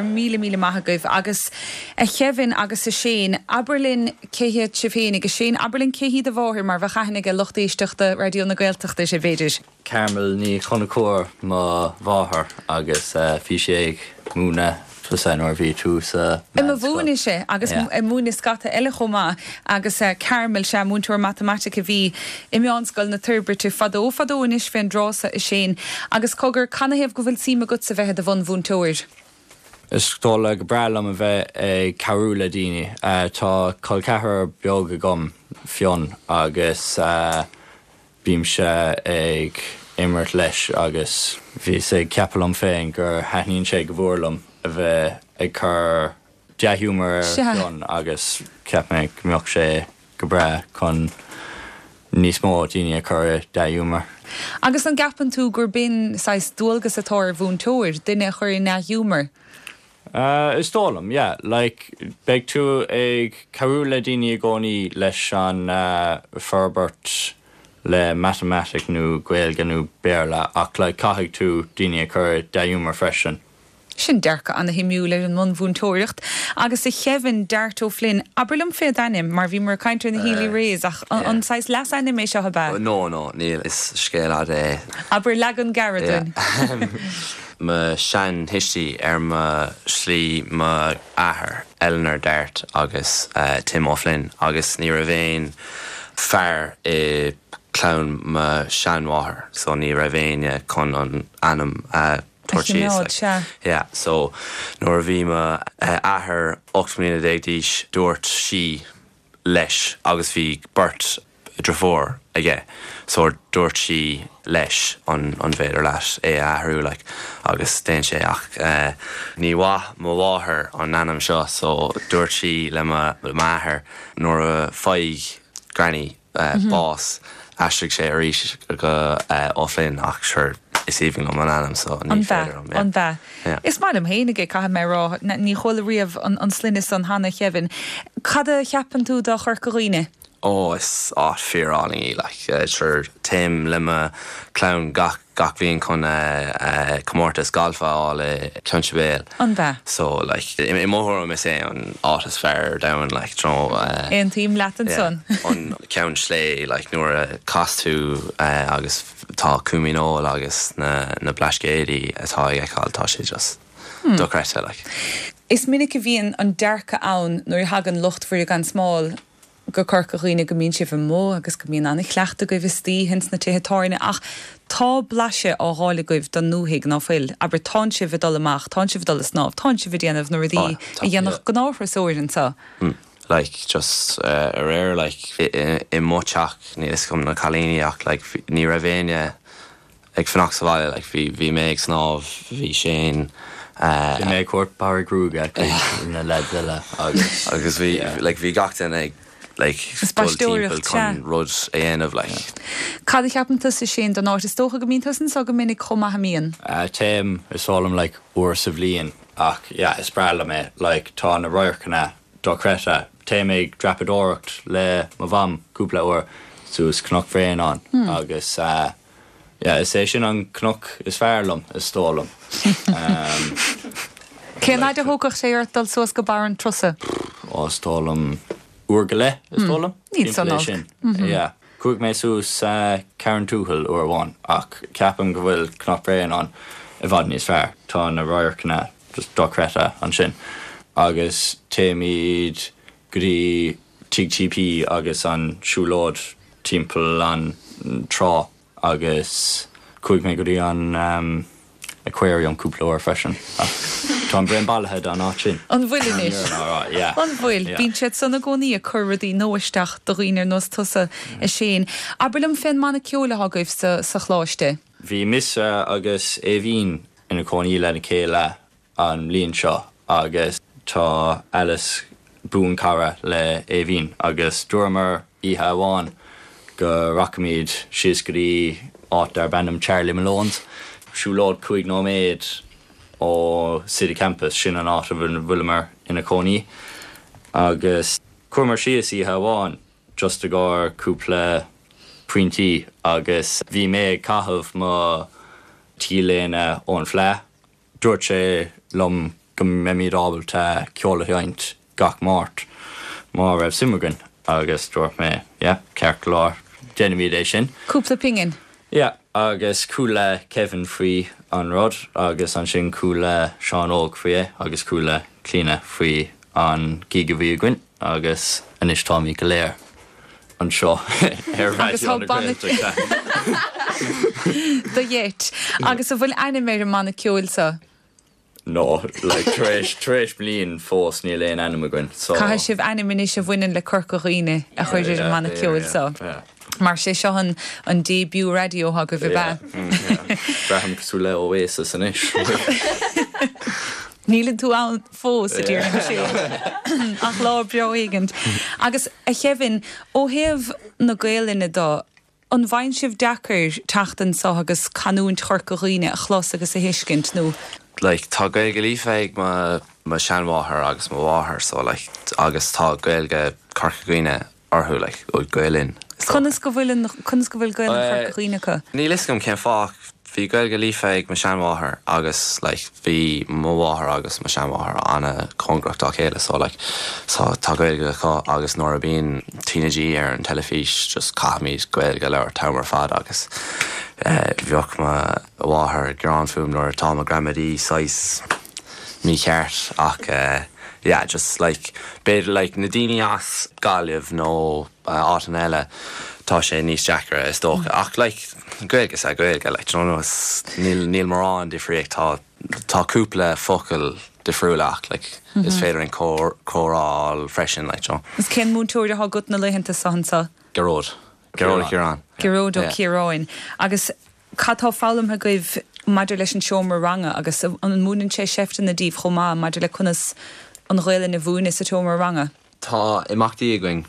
[SPEAKER 1] raibh míle, míle maith agaibh. Agus a Kevin agus a Shane, abair linn cé hiad sibh féinig. A Shane, abair linn cé hí do mháthair mar bheadh aithne ag lucht éisteachta Raidió na Gaeltachta uirthi, b'fhéidir.
[SPEAKER 6] Carmel Ní Chonchúir mo mháthair agus bhí sí ag múineadh tusa nuair a bhí tú sa
[SPEAKER 1] I mo meánscoil. mhúineadh-se agus ag múineadh scata eile chomh maith agus Carmel, sea, múinteoir matamaitice a bhí i Meánscoil na Toirbhirte fadó fadó anois fén dtráth so a Shane. Agus cogar, canathaobh go bhfuil suim agatsa bheith i do bhunmhúinteoir?
[SPEAKER 6] Is dóigh gur breá liom a bheith ag cabhrú le daoine. Tá col ceathrar beag agam, Fionn, agus Bímse ag imirt leis agus bhíos ag ceapadh liom féin gur thaitníonn sé go mhór liom a bheith ag cur dea-ghiúmar ar Fhionn agus cheap mé go mbeadh sé go breá chun níos mó daoine a chur i dea-ghiúmar.
[SPEAKER 1] Agus an gceapann tú gur b'in saghas dualgas atá ar mhúinteoir, duine a chur i ndea-ghiúmar?
[SPEAKER 6] Is dóigh liom, yeah. Like, beidh tú ag cabhrú le daoine i gcónaí leis an forbairt le matamaitic nó Gaeilge nó Béarla ach like caithfidh tú daoine a chur i dea-ghiúmar freisin.
[SPEAKER 1] Sin dearcadh ana-shuimiúil ar an mbunmhúinteoireacht. Agus a Kevin, Dart O'Flynn, abair liom fé d'ainm, mar bhíomar ag caint ar na Healy-Raes ach an saghas leasainm é seo ab ea?
[SPEAKER 7] No, no, níl, is scéal fhada é.
[SPEAKER 1] Abair leagan gearr dúinn.
[SPEAKER 7] Mo shean-thuistí ar mo shlí mo athair, Eleanor Dart agus Tim O'Flynn agus ní raibh aon fear i clann mo sheanmháthair so ní raibh éinne chun an ainm a
[SPEAKER 1] tabhairt síos like. Sea.
[SPEAKER 7] Yeah so nuair a bhí mo athair 18 mbliana d'aois dúirt sí leis agus bhí beirt driofúr aige so dúirt sí leis an an bhféidir leat é a athrú like agus déan sé ach ní mhaith mo mháthair an ainm seo so dúirt sí le mo m'athair nuair a faigh granny bás aistrigh sé arís go O'Flynn ach sure is aoibhinn liom an ainm so ní féidir liom
[SPEAKER 1] yeah. An b'ea? Yeah. Is maith liom fhéinig é caithfidh mé a rá. Ní chuala riamh an sloinne san cheana a Kevin. Cad a cheapann tú de Chorca Dhuibhne?
[SPEAKER 7] Ó is áit fíor álainn í like sure téim le mo chlann gach gach bhliain chun comórtas galf a fháil i Ceann Sibéal.
[SPEAKER 1] An b'ea?
[SPEAKER 7] So like i mo thuairim is é an áit is fearr ar domhan like do you know.
[SPEAKER 1] Aontaím leat ansan.
[SPEAKER 7] Yeah an Ceann Sléibhe like nuair a chas tú agus tá Cúm Ín Óil agus na na Blascaodaí atá ag feiceáil tá sé just dochreidte like.
[SPEAKER 1] Is minic a bhíonn an dearcadh ann nuair a thagann lucht Mhuire gan Smál go Corca Dhuibhne go mbíonn sibh amuigh agus go mbíonn an-chleachtadh agaibh istoíche ins na tithe tábhairne ach tá blaiseadh á dh'fháil agaibh don ndúthaigh, ná fuil? Abair, tánn sibh ag dul amach, tánn sibh ag dul ag snámh, tánn sibh ag déanamh na rudaí a dhéanfadh gnáth-thurasóir anseo.
[SPEAKER 7] Like, just aréir, like, i mo teach, níl fhios agam na cailíní ach, like, ní raibh éinne ag fanacht sa bhaile, like, bhí, bhí mé ag snámh, bhí Shane,
[SPEAKER 6] eh. Bhí mé ag tabhairt barraí gruaige chuig na lads eile
[SPEAKER 7] agus. Agus bhí, like, bhí gach duine ag, like,
[SPEAKER 1] Is
[SPEAKER 7] dul timpeall
[SPEAKER 1] b'aisteoireacht, sea.
[SPEAKER 7] chun rud a dhéanamh, like.
[SPEAKER 1] Cad a cheapann tusa, Shane, don áit? Is dócha go mbíonn tusa anso go minic chomh maith, an mbíonn?
[SPEAKER 6] Téim, is dóigh liom, like, uair sa bhliain ach, yeah, is breá liom é, like, tá na radharcanna dochreidte. Téim ag dreapadóireacht le mo mham cúpla uair suas Cnoc Bhréanainn agus yeah, is é sin an cnoc is fearr liom, is dóigh liom.
[SPEAKER 1] Cén fhaid a thógfadh sé ort dul suas go barr an trusa?
[SPEAKER 6] Ó, is dóigh liom uair go leith, is dóigh liom.
[SPEAKER 1] Níl san olc. Sin.
[SPEAKER 6] Yeah. Chuaigh mé suas Carrauntoohil uair amháin ach ceapaim go bhfuil Cnoc Bhréanainn i bhfad níos fearr. Tá na radharcanna just dochreidte ansin. Agus téimid go dtí Tigh TP agus an siúlóid timpeall an trá agus chuaigh mé go dtí an aquarium cúpla uair freisin ach táim bréan bailithe den áit sin.
[SPEAKER 1] An bhfuil anois?
[SPEAKER 6] Yeah.
[SPEAKER 1] An bhfuil? Bíonn siad san i gcónaí ag cur rudaí nua isteach do dhaoine ar nós tusa, a Shane. Abair liom fén mbanna ceoil atá agaibh sa choláiste.
[SPEAKER 6] Bhí mise agus Aoibhín ina cónaí lena chéile an mbliain seo agus tá Alice buanchara le Aoibhín agus dúramar oíche amháin go rachaimid síos go dtí áit darb ainm Charlie Malone's, siúlóid 5 nóiméad ó City Campus, sin an áit a bhfuileamar ina cónaí agus chuamar síos oíche amháin just i gcomhair cúpla pointí agus bhí mé ag caitheamh mo T-léine ón Fleadh. Dúirt sé liom go. go mbeimid ábalta ceol a sheinnt gach Máirt má raibh suim againn agus dúirt mé yeah, ceart go leor, déanfaimid é sin.
[SPEAKER 1] Cúpla pingin.
[SPEAKER 6] Yeah, agus chuala Kevin faoi an rud agus ansin chuala Seán Óg faoi é agus chuala Clíona faoi an gig a bhí againn agus anois táimid go léir anseo ar Raidió na Gaeltachta.
[SPEAKER 1] Do gheit. Agus an bhfuil ainm ar an mbanna ceoil seo?
[SPEAKER 6] No, like tar éis, tar éis bliain fós níl aon ainm againn, so.
[SPEAKER 1] Caithfidh sibh ainm anois a bhaineann le Corca Dhuibhne a chur ar an mbanna ceoil seo. Mar sé seo an, an debut raidió agaibh, ab
[SPEAKER 6] ea? Braithim cosúil le Oasis anois.
[SPEAKER 1] Níleann tú ann fós, a dear Michelle. Ach lá breá éigint. Agus, a Chevin, ó thaobh na Gaelainne do, An bhfaigheann sibh deacair teacht anso agus canúint Chorca Dhuibhne a chlos agus a thuiscint, nó?
[SPEAKER 7] Like, tá Gaeilge líofa ag mo, mo sheanmháthair agus mo mháthair so like, agus tá Gaeilge Chorca Dhuibhne orthu, like, Gaelainn,
[SPEAKER 1] is dócha. Conas go bhfuil an, conas go bhfuil Gaelainn Chorca Dhuibhne acu?
[SPEAKER 7] Níl fhios agam cén fáth. Bhí Gaeilge líofa ag mo sheanmháthair agus like bhí mo mháthair agus mo sheanmháthair an-chóngarach dá chéile so like so tá Gaeilge acu agus nuair a bíonn TnaG ar an teilifís just caithfimid Gaeilge a labhairt an t-am ar fad agus eh bheadh mo mháthair ag gearán fúm nuair atá mo gramadaí saghas mícheart ach eh yeah just like b'fhéidir like na daoine as Gaillimh nó áiteanna eile tá sé níos deacra is dócha ach like Gaeilge is ea Gaeilge like do you know is níl níl mórán difríocht tá tá cúpla focal difriúla ach like is féidir an comhrá a fháil freisin like do you know.
[SPEAKER 1] Is cén múinteoir atá agat na laethanta seo anso?
[SPEAKER 7] Gearóid. Gearóid Ó Ciaráin.
[SPEAKER 1] Gearóid Ó Ciaráin. Agus cad tá foghlamtha agaibh maidir leis an seomra ranga agus an múineann sé seifteanna daoibh chomh maith maidir le conas an Ghaelainn a mhúineadh sa tseomra ranga?
[SPEAKER 7] Tá imeachtaí againn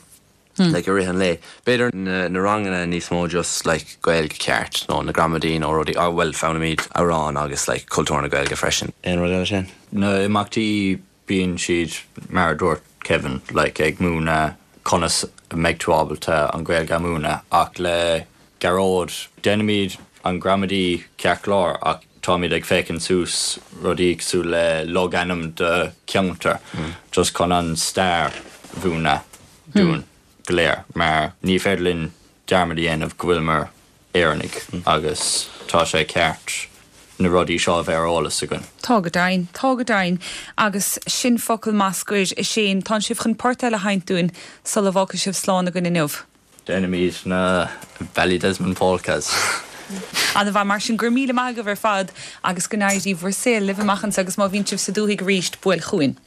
[SPEAKER 7] like i rith an lae. B'fhéidir na na ranganna níos mó just like Gaeilge ceart nó na gramadaí nó rudaí, ah bhuel foghlaimíd amhráin agus like cultúr na Gaeilge freisin. Aon rud eile sin?
[SPEAKER 6] Na imeachtaí bíonn siad mar a dúirt Kevin like ag múineadh conas a mbeidh tú ábalta an Ghaeilge a mhúineadh ach le Gearóid déanaimid an gramadaí ceart go leor ach táimid ag féachaint suas rudaí cosúil le logainm do cheantar just chun an stair a mhúineadh dúinn go léir mar ní féidir linn dearmad a dhéanamh go bhfuileamar Éireannaigh agus tá sé ceart na rudaí seo a bheith ar eolas againn.
[SPEAKER 1] Tá go deimhin, tá go deimhin. Agus sin focal maith scoir, a Shane. Tánn sibh chun port eile a sheinnt dúinn sula bhfágfaidh sibh slán againn inniu.
[SPEAKER 6] Déanfaimid na Ballydesmond Polkas.
[SPEAKER 1] An-mhaith mar sin. Go raibh míle maith agaibh ar fad agus go n-éirí bhur saol libh amach anseo agus má bhíonn sibh sa dúthaigh arís, buail chugainn.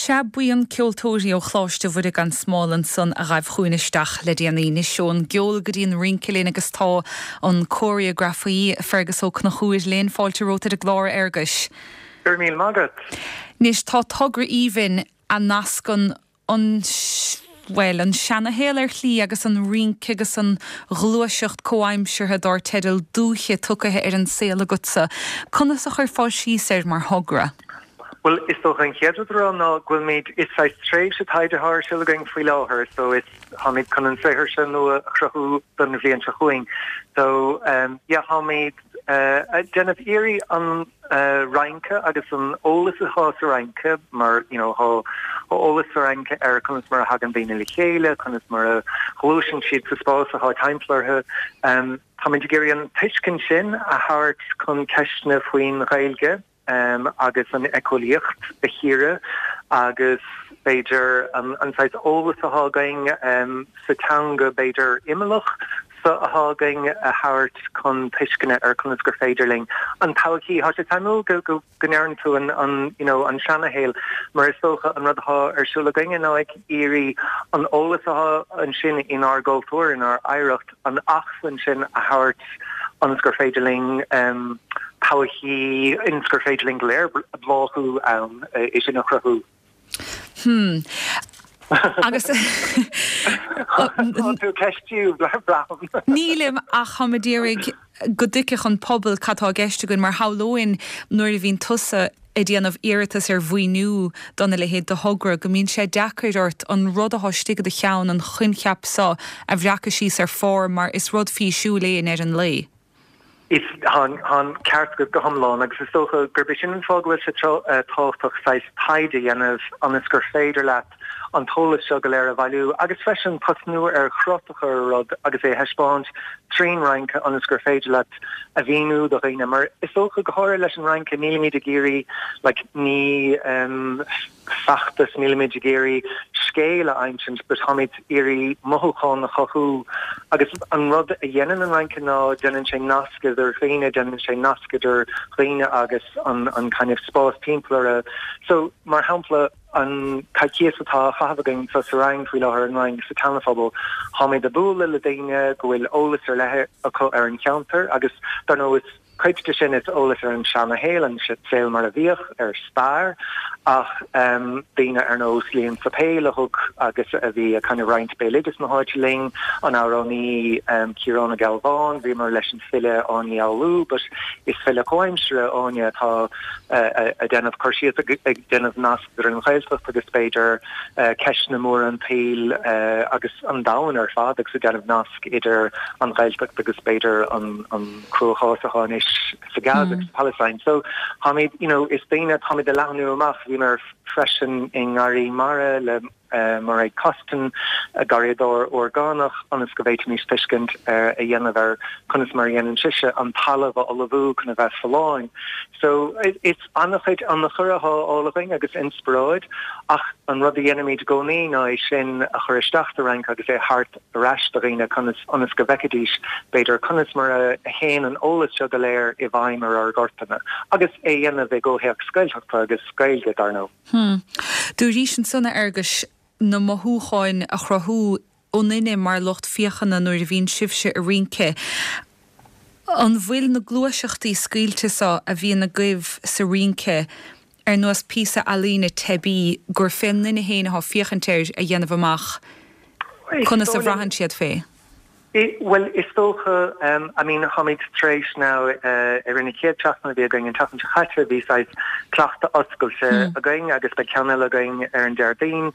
[SPEAKER 1] Sea, buíon ceoltóirí ó Choláiste Mhuire gan Smál ansan a ghaibh chugainn isteach le déanaí. Anois ón gceol go dtí an rince linn agus tá an cóiréagrafaí Fergus Ó Conchúir linn. Fáilte romhat ar an gclár, a Fhearghuis.
[SPEAKER 8] Go raibh míle maith agat.
[SPEAKER 1] Anois tá togra aoibhinn a nascann an. bhuel, an seanashaol ar shlí agus an rince agus an ghluaiseacht comhaimseartha dár teideal Dúiche tugtha ar an saol agatsa. Conas a chuirfeá síos air mar thogra?
[SPEAKER 8] Bhuel, is dócha an chéad rud a rá ná go bhfuilimid, is saghas tréimhse taighde atá ar siúl againn faoi láthair so is, táimid chun an saothar seo nua a chruthú don bhliain seo chugainn. So, yeah, táimid ag déanamh iarraidh an rince agus an eolas atá sa rince mar, you know, tá eolas sa rince ar conas mar a thagann daoine le chéile, conas mar a ghluaiseann siad sa spás atá timpeall orthu. Táimid ag iarraidh an tuiscint sin a thabhairt chun ceisteanna faoin Ghaeilge. agus an éiceolaíocht a chíoradh agus b'fhéidir an saghas eolas atá againn sa teanga b'fhéidir imeallach so atá againn a thabhairt chun tuisceana ar conas gur féidir linn an todhchaí. Tá sé suimiúil go go ndeireann tú an an you know an seanashaol mar is dócha an rud atá ar siúl againne ná ag iarraidh an eolas atá ansin inár gcultúr, inár oidhreacht, an acmhainn sin a thabhairt ionas gur féidir linn todhchaí, ionas gur féidir linn go léir bláthú ann, é sin a chruthú.
[SPEAKER 1] Hmm. Agus.
[SPEAKER 8] Tá tú ag ceistiú, braithim.
[SPEAKER 1] Nílim ach táim ag iarraidh go dtuigfeadh an pobal cad tá i gceist againn mar shamhlóinn nuair a bhíonn tusa ag déanamh iarratas ar mhaoiniú dona leithéid de thogra, go mbíonn sé deacair ort an rud atá istigh i do cheann, an coincheap so, a bhreacadh síos ar phár mar is rud físiúil é i ndeireadh an lae.
[SPEAKER 8] Is, tá an ceart agat go hiomlán agus is dócha gurb é sin an fáth go bhfuil sé tábhachtach saghas taighde a dhéanamh ionas gur féidir leat an t-eolas seo go léir a bhailiú agus freisin tosnú ar chrut a chur ar rud agus é a thaispeáint trín rince ionas gur féidir leat a mhíniú do dhaoine mar is dócha go háirithe leis an rince nílimid ag iarraidh like ní um, feachtas nílimid ag iarraidh scéal a insint but táimid iarraidh mothúchán a chothú agus an rud a dhéanann an rince ná déanann sé nasc idir dhaoine déanann sé nasc idir dhaoine agus an an kind of spás timpeall orthu so mar shampla An coicíos atá á chaitheamh againn sa rang faoi láthair, an rang sa tSeanaphobal, táimid ag bualadh le daoine go bhfuil eolas ar leith acu ar an cheantar agus dar ndóigh is cuid de sin is eolas ar an seanashaol, an saol mar a bhíodh, ar stair ach daoine ar nós Liam Pheipéil a thug agus a bhí ag kind of roinnt béaloideas na háite linn, an amhránaí Ciarán Ó Gealbháin, bhíomar leis an file Áine Ní Fhoghlú but is file comhaimseartha Áine atá ag déanamh cur síos, ag déanamh nasc idir an Ghaeltacht agus b'fhéidir ceisteanna móra an tsaoil agus an domhain ar fad agus ag déanamh nasc idir an Ghaeltacht agus b'fhéidir an cruachás atá anois sa Gaza agus sa Palestine. So táimid, you know, is daoine, táimid ag leathnú amach, bhíomar freisin i nGarraí Mara le Mairéad Costin, garraíodóir orgánach, ionas go bhféadfaimis tuiscint a dhéanamh ar conas mar a dhéanann sise an talamh a ullmhú chun a bheith folláin. So, is an-chuid ionchur atá á fháil againn agus inspioráid, ach an rud a dhéanaimid i gcónaí ná é sin a chur isteach sa rince agus é a thabhairt ar ais do dhaoine conas, ionas go bhfeicfidís, b'fhéidir, conas mar a théann an eolas seo go léir i bhfeidhm ar ár gcorpanna, agus é a dhéanamh i gcomhthéacs Gaeltachta agus Gaeilge, dar ndóigh.
[SPEAKER 1] Hm. Dúraís ansan, a Fhearghuis, na mothúcháin a chruthú ionainne mar lucht féachana nuair a bhíonn sibhse ag rince. An bhfuil na gluaiseachtaí scaoilte so a bhíonn agaibh sa rince ar nós píosa ealaíne teibí gur fén nduine féin atá ag féachaint air a dhéanamh amach conas a bhraitheann siad fé?
[SPEAKER 8] Bhuel, is dócha, I mean, táimid tar éis now, i rith na chéad seachtaine a bhí againn, an tseachtain seo chaite, bhí saghas cleachtadh oscailte againn agus beidh ceann eile againn ar an Déardaoin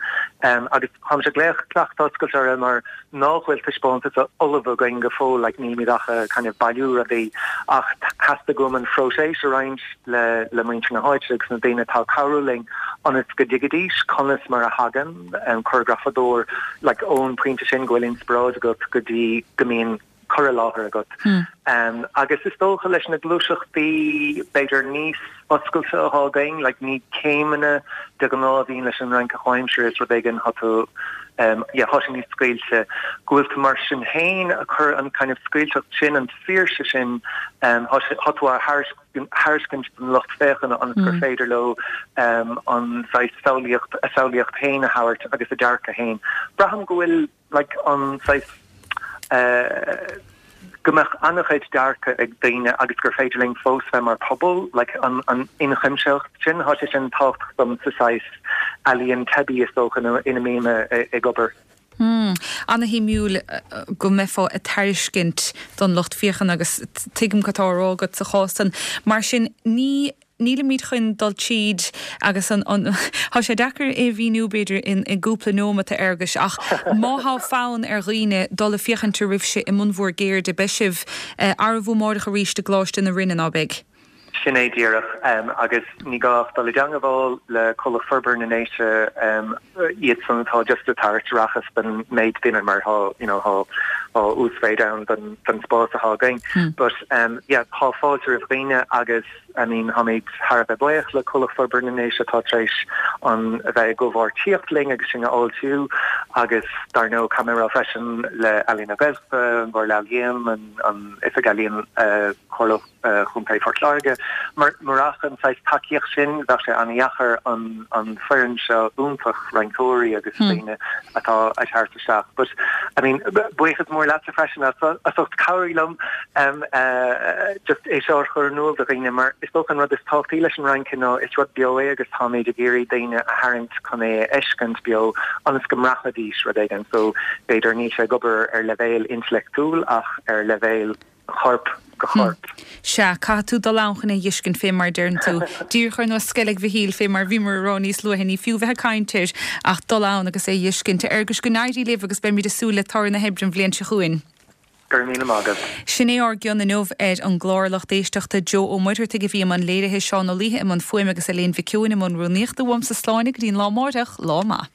[SPEAKER 8] agus táimse ag glaoch cleachtadh oscailte orthu mar nach bhfuil taispeántas ullamh againn go fóill, like nílimid ach ag kind of bailiú rudaí ach theastaigh uaim an phróiseas a roinnt le le muintir na háite agus na daoine atá ag cabhrú linn ionas go dtuigfidís conas mar a thagann an córagrafadóir like ón pointe sin go bhfuil inspioráid agat go dtí go mbíonn cur i láthair agat. Agus is dócha leis na gluaiseachtaí b'fhéidir níos oscailte atá againn, like ní céimeanna de ghnáth a bhíonn leis an rince chomhaimseartha, is rud éigin tá tú yeah tá sé níos scaoilte, go bhfuil tú mar sin féin ag cur an kind of scaoilteacht sin, an saoirse sin, tá tú á thairiscint don lucht féachana ionas gur féidir leo an saghas samhlaíocht, a samhlaíocht féin a thabhairt agus a dearcadh féin. Braithim go bhfuil like an saghas go mbeadh an-chuid dearcadh ag daoine agus gur féidir linn fós bheith mar phobal, like an an ionchuimsitheacht sin, tá sé sin tábhachtach dom sa saghas ealaíon teibí is dócha ina mbím ag obair.
[SPEAKER 1] Ana-shuimiúil go mbeifeá ag tairiscint don lucht féachana agus tuigim cad tá á rá agat sa chás san. Mar sin, ní, nílimid chun dul tríd agus an, an, tá sé deacair é a mhíniú b'fhéidir in, i gcúpla nóimeat a Fhearghuis ach má thá fonn ar dhaoine dul ag féachaint oraibhse i mbun bhur gceirde, beidh sibh, arbh amáireach arís i gColáiste na Rinne, ná beidh?
[SPEAKER 8] Sin é díreach, agus ní gá ach dul i dteangabháil le Comhlacht Forbartha na nDéise, iadsan atá just ag tabhairt aireachas don méid duine mar tá, you know, tá uasmhéid ann don don spás atá againn. But yeah, tá fáilte roimh dhaoine agus I mean táimid thar a bheith buíoch le Comhlacht Forbartha na nDéise atá tar éis an a bheith i gcomhpháirtíocht linn agus sinn a fháiltiú agus dar ndóigh caithfidh mé a rá freisin le Ealaín na Gaeltachta, an Chomhairle Ealaíon, an an Oifig Ealaíon, Comhairle Chontae Phort Láirge. Murach an saghas tacaíocht sin, bheadh sé an-dheacair an foireann seo iontach rinceoirí agus daoine atá ag teacht isteach. But, I mean, buíochas mór leatsa freisin as ucht cabhrú liom just é seo a chur in iúl do dhaoine mar is dócha an rud is tábhachtaí leis an rince ná is rud beo é agus táimid ag iarraidh daoine a tharraingt chun é a fheiscint beo ionas go mbraithfidís rud éigin. So, b'fhéidir níl sé ag obair ar leibhéal intleachtúil ach ar leibhéal chorp go chorp.
[SPEAKER 1] Sea, caithfidh tú dul ann chun é a dh'fheiscint, fé mar a deireann tú. Díreach ar nós Sceilg Mhichíl, fé mar a bhíomar a rá níos luaithe, ní fiú bheith ag caint air ach dul ann agus é a dh'fheiscint. A Fhearghuis, go n-éirí libh agus beimid ag súil le toradh na hoibre an bhliain seo chugainn.
[SPEAKER 8] Go raibh míle maith agat.
[SPEAKER 1] Sin é ár gcion inniu ar an gclár, lucht éisteachta. Joe Ó Muircheartaigh a bhí i mbun léirithe, Seán Ó Laoithe i mbun fuaime agus Elaine Mhic Eoin i mbun rúnaíochta. Uaimse slán go dtí an lá amáireach. Lá maith.